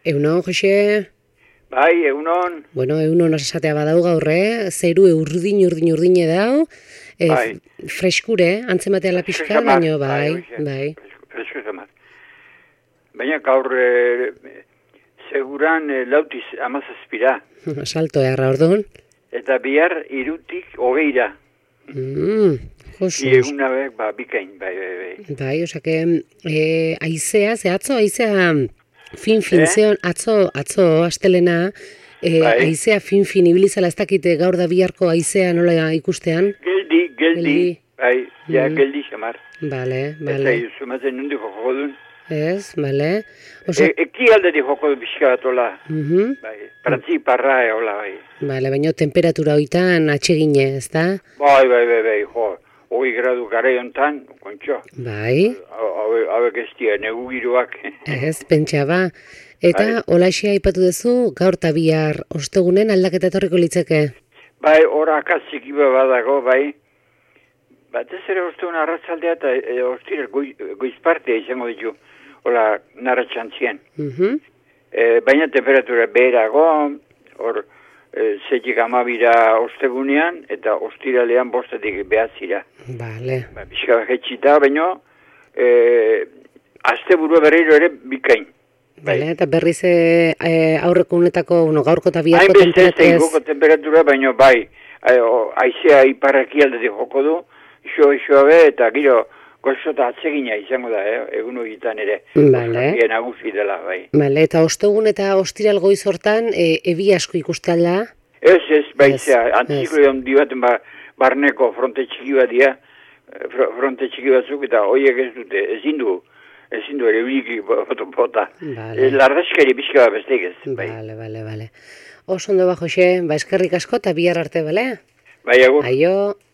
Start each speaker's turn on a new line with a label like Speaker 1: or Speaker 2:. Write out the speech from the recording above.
Speaker 1: Eunon, Jose?
Speaker 2: Bai, egunon.
Speaker 1: Bueno, eunon esatea badau gaur, zeru urdin dau,
Speaker 2: Bai.
Speaker 1: freskure, antzematea la pixka, baino, bai.
Speaker 2: Fresko zamar. Baina gaur seguran lautiz amazazpira.
Speaker 1: Salto erra, orduan?
Speaker 2: Eta bihar irutik hogeira.
Speaker 1: Josu.
Speaker 2: Eguna bikain, bai.
Speaker 1: Bai, osake, aizea, aizea fin zeon, atzo, astelena, aizea fin ibilizala ez dakite gaur da biharko aizea nola ikustean?
Speaker 2: Geldi, bai, geldi xamar.
Speaker 1: Bale.
Speaker 2: Eta zumazen nundi joko duen.
Speaker 1: Ez, bale.
Speaker 2: Eki alderi joko du pixka bat ola. Bai, prantzi parra ola, bai.
Speaker 1: Bale, baina temperatura hoitan atsegine, ez da?
Speaker 2: Bai, jo. 20 gradu gara jontan, kontxo.
Speaker 1: Bai.
Speaker 2: Hauek ez dira, negu giroak.
Speaker 1: Ez, pentsa ba. Eta holaxea aipatu duzu, gaur eta bihar ostegunen aldaketa etorriko litzeke?
Speaker 2: Bai, hor akazik iba badago, bai. Batez ere ostegun arratzaldea eta ostira goizpartea izango ditu, hola narratxantzien. Baina temperatura beherago, hor zetik amabira ostegunean, eta ostiralean bostetik behatzira.
Speaker 1: Bale.
Speaker 2: Bizka jetxita, baina azte burua berriro ere bikain.
Speaker 1: Bale, eta berriz aurreko unetako, gaurko eta biharko temperatura ez?
Speaker 2: Hainbeste temperatura, baina bai, aizea iparraki aldetik joko du, iso be, eta giro goxota atsegina izango da, egun horietan ere.
Speaker 1: Bale.
Speaker 2: Nagusi dela, bai.
Speaker 1: Bale, eta ostegun eta ostiral goiz hortan, ebi asko ikustala?
Speaker 2: Ez, baizea, antziklo handi baten barneko fronte txiki bat dira, fronte txiki batzuk, eta horiek ez dute, ezin du ere uriki bota. Lardazkari pixka bat besteik ez.
Speaker 1: Bale. Oso ondo ba, Jose, eskerrik asko eta bihar arte, bale?
Speaker 2: Bai, agur.
Speaker 1: Aio.